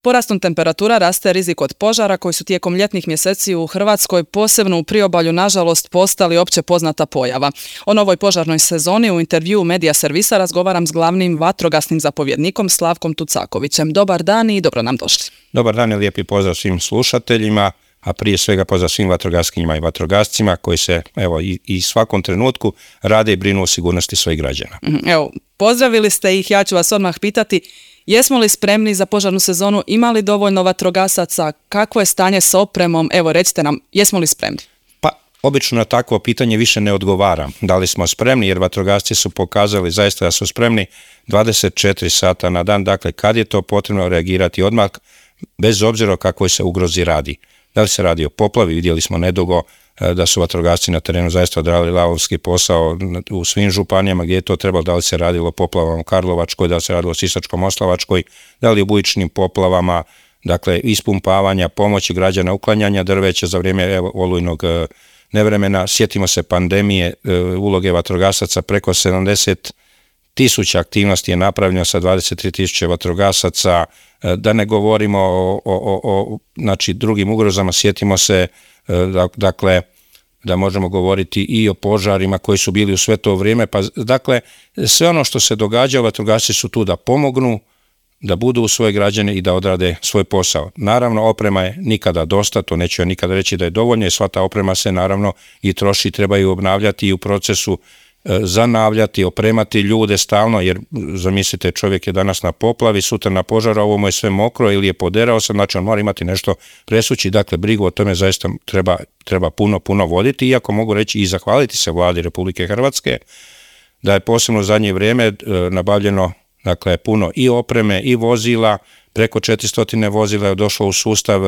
Porastom temperatura raste rizik od požara koji su tijekom ljetnih mjeseci u Hrvatskoj, posebno u priobalju, nažalost postali opće poznata pojava. O novoj požarnoj sezoni u intervjuu Medija servisa razgovaram s glavnim vatrogasnim zapovjednikom Slavkom Tucakovićem. Dobar dan i dobro nam došli. Dobar dan i lijepi pozdrav svim slušateljima, a prije svega pozdrav svim vatrogaskinjima i vatrogascima koji se i svakom trenutku rade i brinu o sigurnosti svojih građana. Evo, pozdravili ste ih, ja ću vas odmah pitati, jesmo li spremni za požarnu sezonu, ima li dovoljno vatrogasaca, kakvo je stanje s opremom, evo recite nam, jesmo li spremni? Pa, obično na takvo pitanje više ne odgovaram. Da li smo spremni, jer vatrogasci su pokazali zaista da su spremni 24 sata na dan, dakle kad je to potrebno reagirati odmah, bez obzira o kakvoj se ugrozi radi. Da li se radi o poplavi, vidjeli smo nedugo da su vatrogasci na terenu zaista odradili lavovski posao u svim županijama gdje je to trebalo, da li se radilo o poplavama u Karlovačkoj, da li se radilo o Sisačko-moslavačkoj, da li o bujičnim poplavama, dakle ispumpavanja, pomoći građana, uklanjanja drveća za vrijeme olujnog nevremena. Sjetimo se pandemije, uloge vatrogasaca, preko 70.000 aktivnosti je napravljeno sa 23.000 vatrogasaca, da ne govorimo o drugim ugrozama, sjetimo se dakle da možemo govoriti i o požarima koji su bili u sve to vrijeme, pa dakle sve ono što se događa, vatrogasci su tu da pomognu, da budu uz svoje građane i da odrade svoj posao. Naravno, oprema je nikada dosta, to neću ja nikada reći da je dovoljno, i sva ta oprema se naravno i troši, trebaju obnavljati i u procesu zanavljati, opremati ljude stalno, jer zamislite, čovjek je danas na poplavi, sutra na požaru, ovo mu je sve mokro ili je poderao se, znači on mora imati nešto presući, dakle brigu o tome zaista treba puno voditi, iako mogu reći i zahvaliti se Vladi Republike Hrvatske da je posebno u zadnje vrijeme nabavljeno dakle puno i opreme i vozila, preko 400 vozila je došlo u sustav,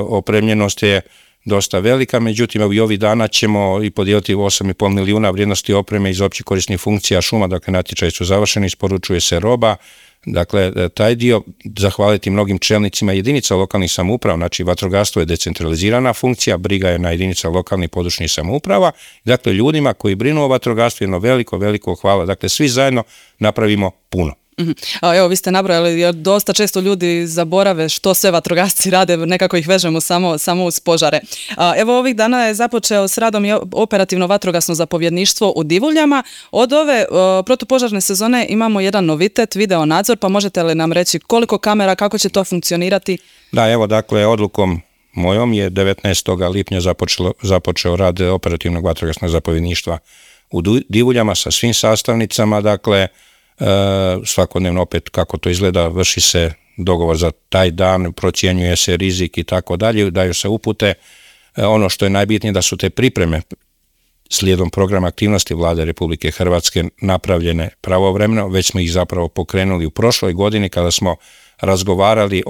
opremljenost je dosta velika, međutim i ovih dana ćemo i podijeliti 8,5 milijuna vrijednosti opreme iz općih korisnih funkcija šuma, dakle natječaji su završeni, isporučuje se roba, dakle taj dio zahvaliti mnogim čelnicima jedinica lokalnih samouprava, znači vatrogastvo je decentralizirana funkcija, briga je na jedinica lokalnih područnih samouprava, dakle ljudima koji brinu o vatrogastvu jedno veliko hvala, dakle svi zajedno napravimo puno. Evo, vi ste nabrojali, jer dosta često ljudi zaborave što sve vatrogasci rade, nekako ih vežemo samo uz požare. Evo, ovih dana je započeo s radom i operativno vatrogasno zapovjedništvo u Divuljama. Od ove protupožarne sezone imamo jedan novitet, video nadzor, pa možete li nam reći koliko kamera, kako će to funkcionirati? Da, evo, dakle, odlukom mojom je 19. lipnja započeo rad operativnog vatrogasnog zapovjedništva u Divuljama sa svim sastavnicama, dakle, svakodnevno opet kako to izgleda, vrši se dogovor za taj dan, procjenjuje se rizik i tako dalje, daju se upute. Ono što je najbitnije da su te pripreme slijedom programa aktivnosti Vlade Republike Hrvatske napravljene pravovremeno, već smo ih zapravo pokrenuli u prošloj godini kada smo razgovarali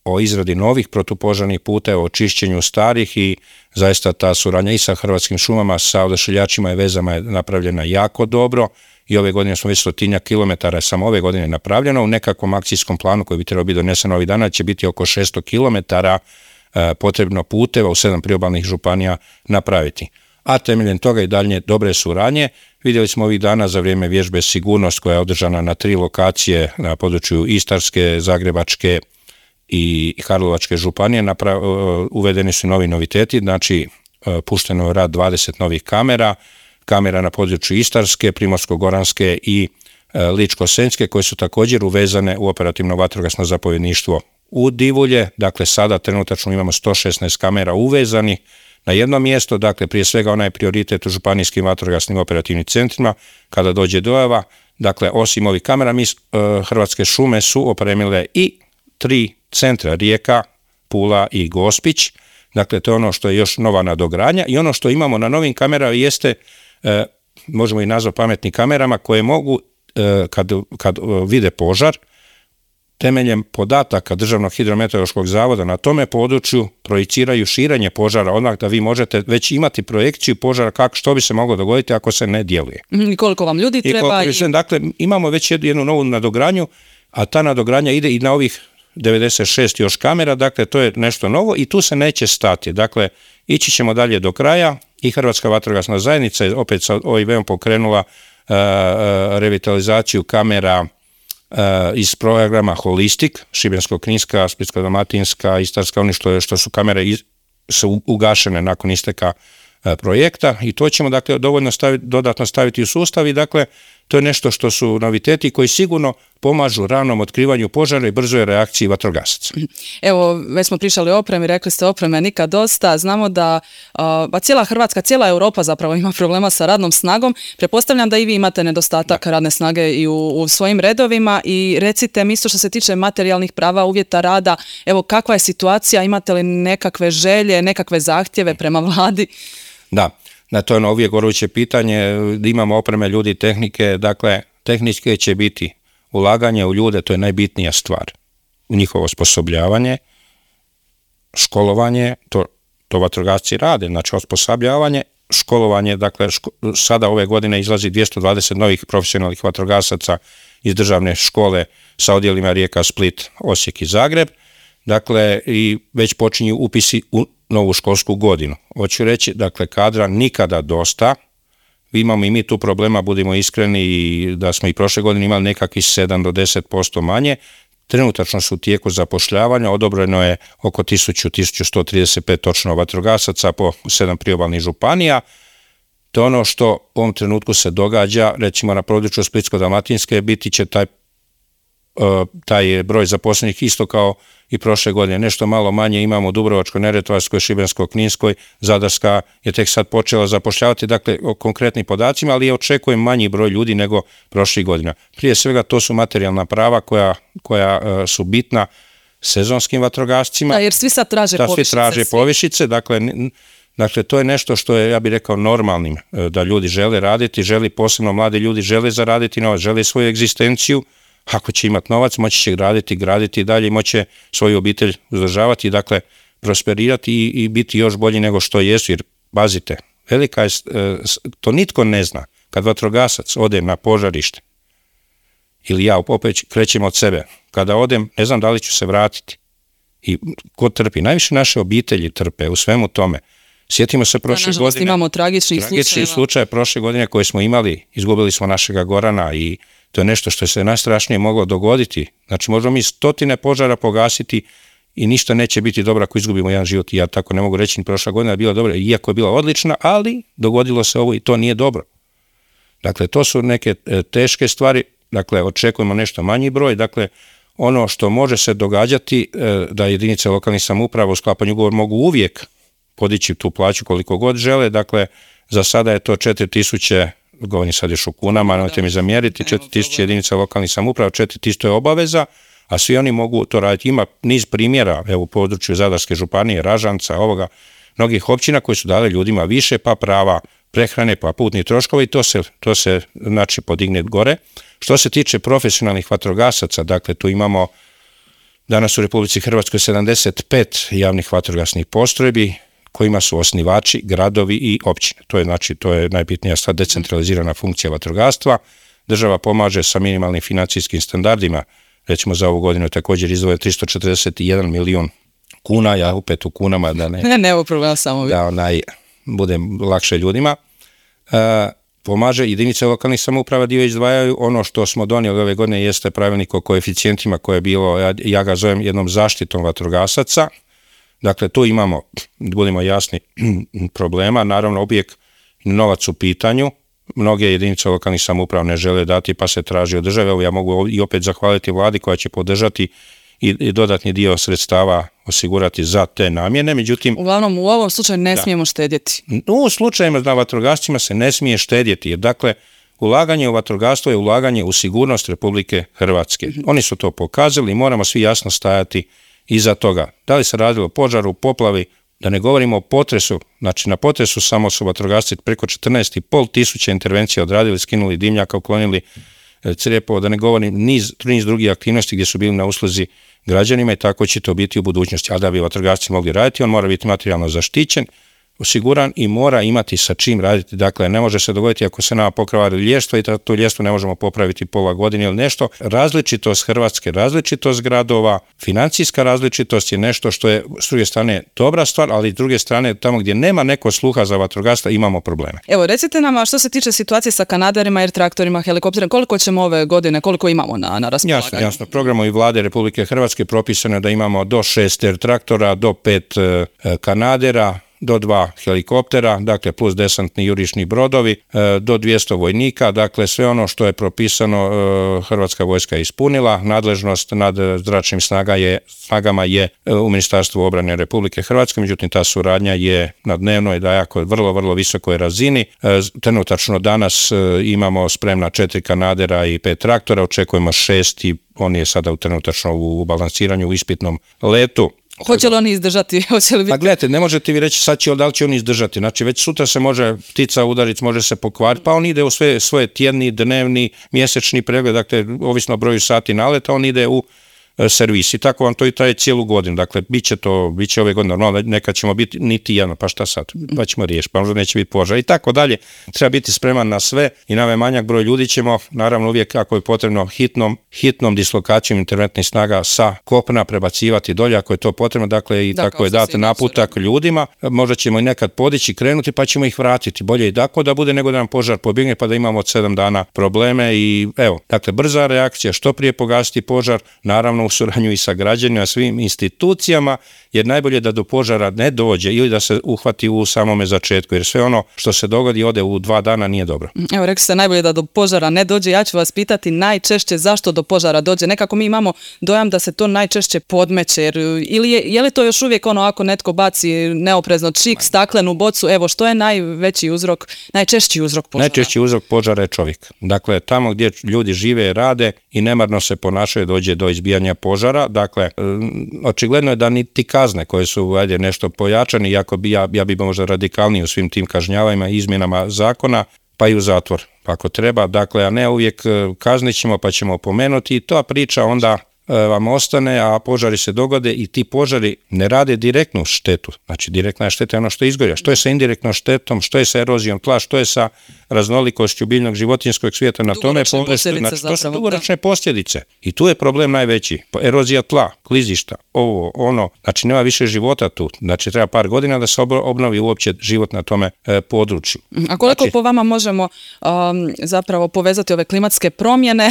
o izradi novih protupožarnih puteva, o čišćenju starih, i zaista ta suradnja i sa Hrvatskim šumama, sa odašiljačima i vezama je napravljena jako dobro. I ove godine smo već 100 kilometara samo ove godine napravljeno. U nekakvom akcijskom planu koji bi trebao biti donesen ovih dana će biti oko 600 kilometara potrebno puteva u 7 priobalnih županija napraviti. A temeljem toga i dalje dobre suradnje. Vidjeli smo ovih dana za vrijeme vježbe Sigurnost koja je održana na 3 lokacije na području Istarske, Zagrebačke i Karlovačke županije. Uvedeni su novi noviteti, znači pušteno je rad 20 novih kamera na području Istarske, Primorsko-goranske i Ličko-senjske, koje su također uvezane u operativno vatrogasno zapovjedništvo u Divulje. Dakle, sada trenutačno imamo 116 kamera uvezanih na jedno mjesto, dakle prije svega onaj prioritet u županijskim vatrogasnim operativnim centrima kada dođe dojava. Dakle, osim ovih kamera, Hrvatske šume su opremile i 3 centra, Rijeka, Pula i Gospić. Dakle, to je ono što je još nova nadogradnja, i ono što imamo na novim kamerama jeste, možemo i nazvati pametnim kamerama, koje mogu, kad vide požar, temeljem podataka Državnog hidrometeorološkog zavoda na tome području projiciraju širenje požara, odmah da vi možete već imati projekciju požara što bi se moglo dogoditi ako se ne djeluje. I koliko vam ljudi treba? Dakle, imamo već jednu novu nadogradnju, a ta nadogradnja ide i na ovih 96 još kamera, dakle to je nešto novo i tu se neće stati. Dakle, ići ćemo dalje do kraja i Hrvatska vatrogasna zajednica je opet sa OIV-om pokrenula revitalizaciju kamera iz programa Holistic, Šibensko-kninska, Splitsko-dalmatinska, Istarska, oni što su kamere su ugašene nakon isteka projekta i to ćemo dakle dovoljno dodatno staviti u sustav i dakle to je nešto što su noviteti koji sigurno pomažu ranom otkrivanju požara i brzoj reakciji vatrogasaca. Evo, već smo pričali o opremi, rekli ste opreme nikad dosta, znamo da cijela Hrvatska, cijela Europa zapravo ima problema sa radnom snagom, pretpostavljam da i vi imate nedostatak radne snage i u svojim redovima i recite mi isto što se tiče materijalnih prava, uvjeta rada, evo kakva je situacija, imate li nekakve želje, nekakve zahtjeve prema vladi? Da, to je ono uvijek goruće pitanje, da imamo opreme, ljudi, tehnike, dakle tehničke će biti ulaganje u ljude, to je najbitnija stvar, u njihovo osposobljavanje, školovanje, to vatrogasci rade, znači osposobljavanje, školovanje, dakle sada ove godine izlazi 220 novih profesionalnih vatrogasaca iz državne škole sa odjelima Rijeka, Split, Osijek i Zagreb, dakle i već počinju upisi u novu školsku godinu. Hoću reći, dakle, kadra nikada dosta. Imamo i mi tu problema, budimo iskreni, i da smo i prošle godine imali nekakvih 7 do 10% manje. Trenutačno su u tijeku zapošljavanja, odobreno je oko 1135 točno vatrogasaca po 7 priobalnih županija. To je ono što u ovom trenutku se događa, recimo na području Splitsko-dalmatinske biti će taj broj zaposlenih isto kao i prošle godine. Nešto malo manje imamo u Dubrovačko-neretvanskoj, Šibensko-kninskoj, Zadarska je tek sad počela zapošljavati, dakle o konkretnim podacima, ali očekujem manji broj ljudi nego prošlih godina. Prije svega to su materijalna prava koja su bitna sezonskim vatrogascima. Da, jer svi sad traže povišice. Svi traže povišice, dakle to je nešto što je, ja bih rekao, normalnim, da ljudi žele raditi, posebno mladi ljudi žele zaraditi novac, žele svoju egzistenciju. Ako će imati novac, moći će graditi dalje i moći će svoju obitelj uzdržavati, dakle prosperirati i biti još bolji nego što jesu, jer pazite, velika je, to nitko ne zna, kad vatrogasac ode na požarište, ili ja opet krećem od sebe, kada odem, ne znam da li ću se vratiti. I ko trpi? Najviše naše obitelji trpe u svemu tome. Sjetimo se prošle godine. Imamo tragičnih slučaje prošle godine koje smo imali, izgubili smo našega Gorana i to je nešto što se najstrašnije moglo dogoditi. Znači možemo mi 100 požara pogasiti i ništa neće biti dobro ako izgubimo jedan život. I ja tako ne mogu reći, ni prošla godina je bila dobra, iako je bila odlična, ali dogodilo se ovo i to nije dobro. Dakle, to su neke teške stvari, dakle, očekujemo nešto manji broj, dakle, ono što može se događati da jedinice lokalnih samouprava u sklapanju ugovora mogu uvijek podići tu plaću koliko god žele, dakle, za sada je to 4000, govorim sad još u kunama, nemojte mi zamjeriti, 4000 jedinica lokalnih samouprava, 4000 je obaveza, a svi oni mogu to raditi. Ima niz primjera, evo u području Zadarske županije, Ražanca, mnogih općina koji su dali ljudima više, pa prava prehrane, pa putni troškovi, to se znači podigne gore. Što se tiče profesionalnih vatrogasaca, dakle tu imamo danas u Republici Hrvatskoj 75 javnih vatrogasnih postrojbi, kojima su osnivači gradovi i općine. To je najbitnija sad decentralizirana funkcija vatrogastva. Država pomaže sa minimalnim financijskim standardima, recimo za ovu godinu također izdvoje 341 milijun kuna, ja opet u kunama da ne problem samo da bude lakše ljudima. Pomaže jedinice lokalnih samouprava, dio izdvajaju. Ono što smo donijeli ove godine jeste pravilnik o koeficijentima koje je bilo, ja ga zovem jednom zaštitom vatrogasaca. Dakle, tu imamo, budimo jasni, problema, naravno uvijek novac u pitanju, mnoge jedinice lokalnih samouprava ne žele dati pa se traži od države, evo ja mogu i opet zahvaliti vladi koja će podržati i dodatni dio sredstava osigurati za te namjene, međutim... Uglavnom, u ovom slučaju ne smijemo štedjeti. U slučajima na vatrogascima se ne smije štedjeti, jer dakle, ulaganje u vatrogastvo je ulaganje u sigurnost Republike Hrvatske. Oni su to pokazali i moramo svi jasno stajati iza toga. Da li se radilo o požaru, poplavi, da ne govorimo o potresu, znači na potresu samo su vatrogasci preko 14.500 intervencija odradili, skinuli dimnjaka, uklonili crijepo, da ne govorim niz drugih aktivnosti gdje su bili na usluzi građanima i tako će to biti u budućnosti. A da bi vatrogasci mogli raditi, on mora biti materijalno zaštićen, siguran i mora imati sa čim raditi. Dakle, ne može se dogoditi ako se nama pokvari ljestvo i to ljestvo ne možemo popraviti pola godine ili nešto. Različitost Hrvatske, različitost gradova, financijska različitost je nešto što je s druge strane dobra stvar, ali s druge strane tamo gdje nema neko sluha za vatrogastva imamo probleme. Evo, recite nam, a što se tiče situacije sa kanaderima, air traktorima, helikopterima, koliko ćemo ove godine, koliko imamo na raspolaganju? Jasno. Programom i vlade Republike Hrvatske propisano je da imamo do 6 air traktora, do 5 kanadera, do 2 helikoptera, dakle plus desantni jurišni brodovi, do 200 vojnika, dakle sve ono što je propisano Hrvatska vojska je ispunila, nadležnost nad zračnim snagama je u Ministarstvu obrane Republike Hrvatske, međutim ta suradnja je na dnevnoj, da jako vrlo, vrlo visokoj razini. Trenutačno danas imamo spremna 4 kanadera i 5 traktora, očekujemo 6 i on je sada trenutačno u balansiranju u ispitnom letu. Hoće li oni izdržati? Pa gledajte, ne možete vi reći sad da li će oni izdržati. Znači već sutra se može ptica udariti, može se pokvariti, pa on ide u svoje tjedni, dnevni, mjesečni pregled, dakle ovisno o broju sati naleta, on ide u servis i tako vam to i traje cijelu godinu. Dakle, bit će ove godine normalno, nekad ćemo biti niti jedno, pa šta sad? Pa ćemo riješiti, pa možda neće biti požar i tako dalje. Treba biti spreman na sve i na ovaj manjak broj ljudi ćemo, naravno uvijek ako je potrebno hitnom dislokacijom interventnih snaga sa kopna prebacivati dolje ako je to potrebno, dakle i tako je dati naputak ljudima, možda ćemo i nekad podići, krenuti pa ćemo ih vratiti. Bolje i tako da bude nego da nam požar pobjegne pa da imamo od 7 dana probleme i evo, dakle brza reakcija, što prije pogasiti požar, naravno u suradnju i sa građanima, svim institucijama, jer najbolje da do požara ne dođe ili da se uhvati u samome začetku, jer sve ono što se dogodi ode u 2 dana nije dobro. Evo, rekli ste najbolje da do požara ne dođe, ja ću vas pitati najčešće zašto do požara dođe. Nekako mi imamo dojam da se to najčešće podmeće, jer ili je li to još uvijek ono ako netko baci neoprezno čik, staklenu bocu, evo što je najčešći uzrok požara? Najčešći uzrok požara je čovjek. Dakle, tamo gdje ljudi žive, rade i nemarno se ponašaju dođe do izbijanja požara. Dakle, očigledno je da niti kazne koje su nešto pojačane, iako ja bi možda radikalniji u svim tim kažnjavanjima i izmjenama zakona, pa i u zatvor ako treba. Dakle, a ne uvijek kaznit ćemo pa ćemo opomenuti i ta priča onda vam ostane, a požari se dogode i ti požari ne rade direktnu štetu. Znači, direktna šteta je ono što izgorja. Što je sa indirektnom štetom, što je sa erozijom tla, što je sa raznolikošću biljnog životinjskog svijeta, na tome znači, to su dugoročne posljedice. I tu je problem najveći. Erozija tla, klizišta, ovo, ono, znači nema više života tu. Znači treba par godina da se obnovi uopće život na tome području. A koliko po vama možemo zapravo povezati ove klimatske promjene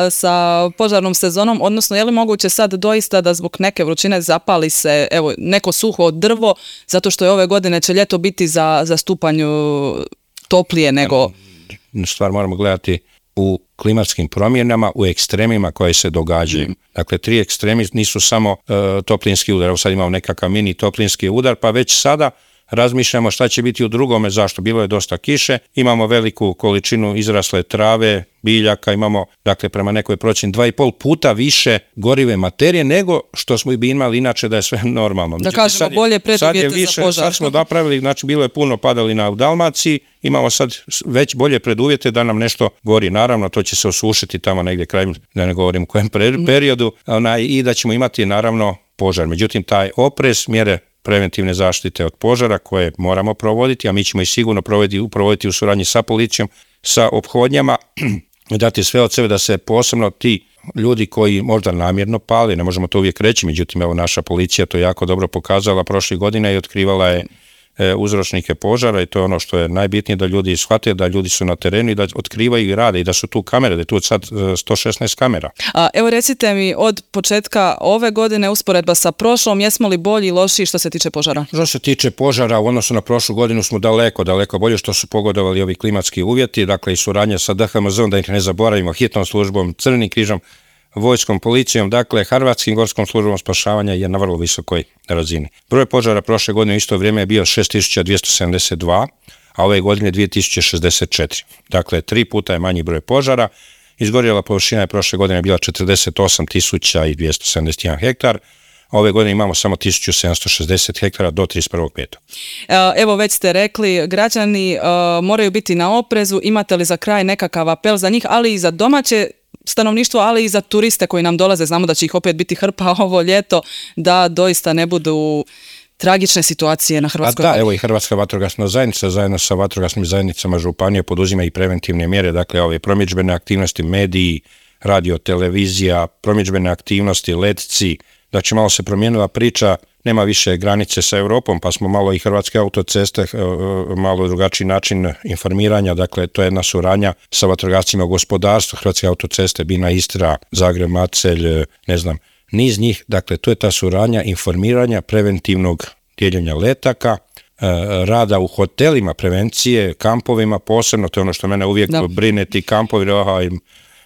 sa požarnom sezonom, odnosno je li moguće sad doista da zbog neke vrućine zapali se neko suho drvo, zato što je ove godine će ljeto biti za stupanj toplije nego... Stvar moramo gledati u klimatskim promjenama, u ekstremima koje se događaju. Dakle, 3 ekstremi nisu samo toplinski udar. Evo sad imamo nekakav mini toplinski udar, pa već sada razmišljamo šta će biti u drugome, zašto? Bilo je dosta kiše, imamo veliku količinu izrasle trave, biljaka, imamo, dakle, prema nekoj procjeni 2,5 puta više gorive materije nego što smo bi imali inače da je sve normalno. Da kažemo, bolje preduvjete za požar. Sad smo napravili, znači bilo je puno padalina u Dalmaciji, imamo sad već bolje preduvjete da nam nešto gori. Naravno, to će se osušiti tamo negdje krajem, da ne govorim u kojem periodu, i da ćemo imati naravno požar. Međutim, taj oprez, mjere preventivne zaštite od požara koje moramo provoditi, a mi ćemo ih sigurno provoditi u suradnji sa policijom, sa ophodnjama, dati sve od sebe da se posebno ti ljudi koji možda namjerno pali, ne možemo to uvijek reći, međutim evo naša policija to jako dobro pokazala prošle godine i otkrivala je uzročnike požara i to je ono što je najbitnije, da ljudi shvate da ljudi su na terenu i da otkrivaju i rade i da su tu kamere, da je tu sad 116 kamera. Evo recite mi, od početka ove godine usporedba sa prošlom, jesmo li bolji i lošiji što se tiče požara? Što se tiče požara, u odnosu na prošlu godinu smo daleko bolje što su pogodovali ovi klimatski uvjeti, dakle i suradnja sa DHMZ-om, da ih ne zaboravimo, hitnom službom, Crvenim križom, vojskom, policijom, dakle Hrvatskim gorskom službom spašavanja je na vrlo visokoj razini. Broj požara prošle godine u isto vrijeme je bio 6272, a ove godine 2064. Dakle, 3 puta je manji broj požara. Izgorjela površina je prošle godine bila 48.271 hektar, a ove godine imamo samo 1760 hektara do 31.5. Evo već ste rekli, građani moraju biti na oprezu. Imate li za kraj nekakav apel za njih, ali i za domaće stanovništvo, ali i za turiste koji nam dolaze, znamo da će ih opet biti hrpa ovo ljeto, da doista ne budu tragične situacije na Hrvatskoj. Da, evo i Hrvatska vatrogasna zajednica zajedno sa vatrogasnim zajednicama županije poduzima i preventivne mjere, dakle ove promidžbene aktivnosti, mediji, radio, televizija, promidžbene aktivnosti, letci. Znači malo se promijenila priča, nema više granice sa Europom, pa smo malo i Hrvatske autoceste, malo drugačiji način informiranja, dakle to je jedna suradnja sa vatrogascima u gospodarstvu, Hrvatske autoceste, Bina, Istra, Zagreb, Macelj, ne znam, niz njih, dakle to je ta suradnja informiranja, preventivnog dijeljenja letaka, rada u hotelima, prevencije, kampovima, posebno, to je ono što mene uvijek brine, ti kampovi,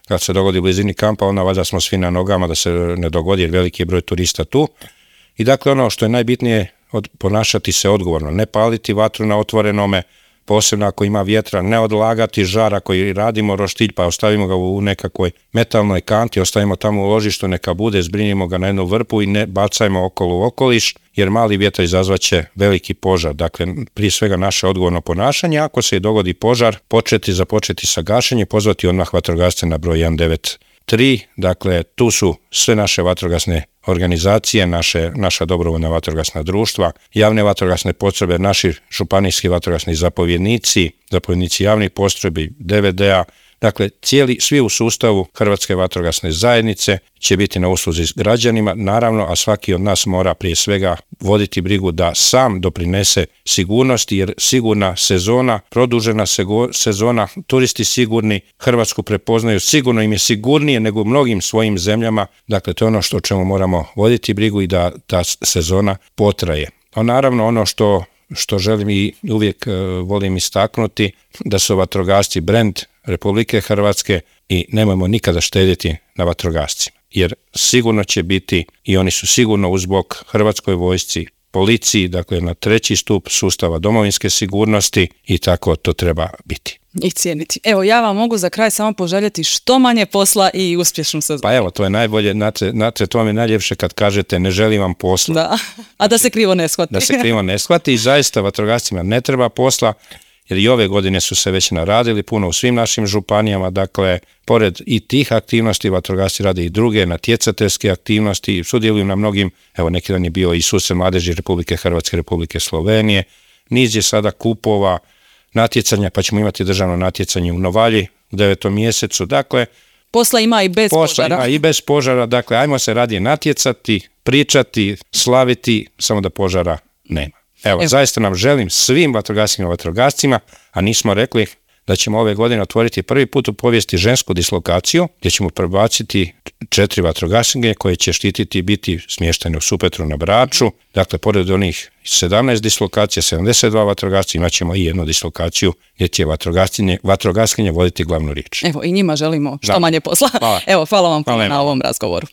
kad se dogodi u blizini kampa, onda valjda smo svi na nogama da se ne dogodi jer veliki je broj turista tu. I dakle ono što je najbitnije, ponašati se odgovorno, ne paliti vatru na otvorenome, posebno ako ima vjetra, ne odlagati žar ako radimo roštilj pa ostavimo ga u nekakvoj metalnoj kanti, ostavimo tamo u ložištu, neka bude, zbrinimo ga na jednu vrpu i ne bacajmo okolo u okoliš, jer mali vjetar izazvaće veliki požar. Dakle, prije svega naše odgovorno ponašanje, ako se dogodi požar, započeti sa gašenjem, pozvati odmah vatrogasce na broj 193, dakle tu su sve naše vatrogasne organizacije, naša dobrovoljna vatrogasna društva, javne vatrogasne postrojbe, naši županijski vatrogasni zapovjednici javnih postrojbi, DVD-a, dakle svi u sustavu Hrvatske vatrogasne zajednice će biti na usluzi s građanima, naravno, a svaki od nas mora prije svega voditi brigu da sam doprinese sigurnosti, jer sigurna sezona, produžena sezona, turisti sigurni, Hrvatsku prepoznaju, sigurno im je sigurnije nego u mnogim svojim zemljama, dakle to je ono o čemu moramo voditi brigu i da ta sezona potraje. A naravno ono što želim i uvijek volim istaknuti, da su vatrogasci brend Republike Hrvatske i nemojmo nikada štedjeti na vatrogascima, jer sigurno će biti i oni su sigurno uz bok Hrvatskoj vojsci, policiji, dakle na treći stup sustava domovinske sigurnosti i tako to treba biti. I cijeniti. Evo, ja vam mogu za kraj samo poželjeti što manje posla i uspješnu sezonu. Pa evo, to je najbolje, znate, to vam je najljepše kad kažete ne želim vam posla. Da, a da se krivo ne shvati. Da se krivo ne shvati i zaista vatrogascima ne treba posla, jer i ove godine su se već naradili puno u svim našim županijama, dakle, pored i tih aktivnosti, vatrogasci rade i druge natjecateljske aktivnosti, sudjeluju na mnogim, evo neki dan je bio i susret mladeži Republike Hrvatske, Republike Slovenije, niz je sada kupova, natjecanja, pa ćemo imati državno natjecanje u Novalji u 9. mjesecu, dakle, posla ima i bez požara. Posla ima i bez požara, dakle, ajmo se radije natjecati, pričati, slaviti, samo da požara nema. Evo, zaista nam želim svim vatrogascima i vatrogascima, a nismo rekli da ćemo ove godine otvoriti prvi put u povijesti žensku dislokaciju, gdje ćemo prebaciti 4 vatrogaskinje koje će štititi i biti smještene u Supetru na Braču. Dakle, pored onih 17 dislokacija, 72 vatrogasci, imat ćemo i jednu dislokaciju gdje će vatrogaskinje voditi glavnu riječ. Evo, i njima želimo što manje posla. Hvala. Evo, hvala vam na ovom razgovoru.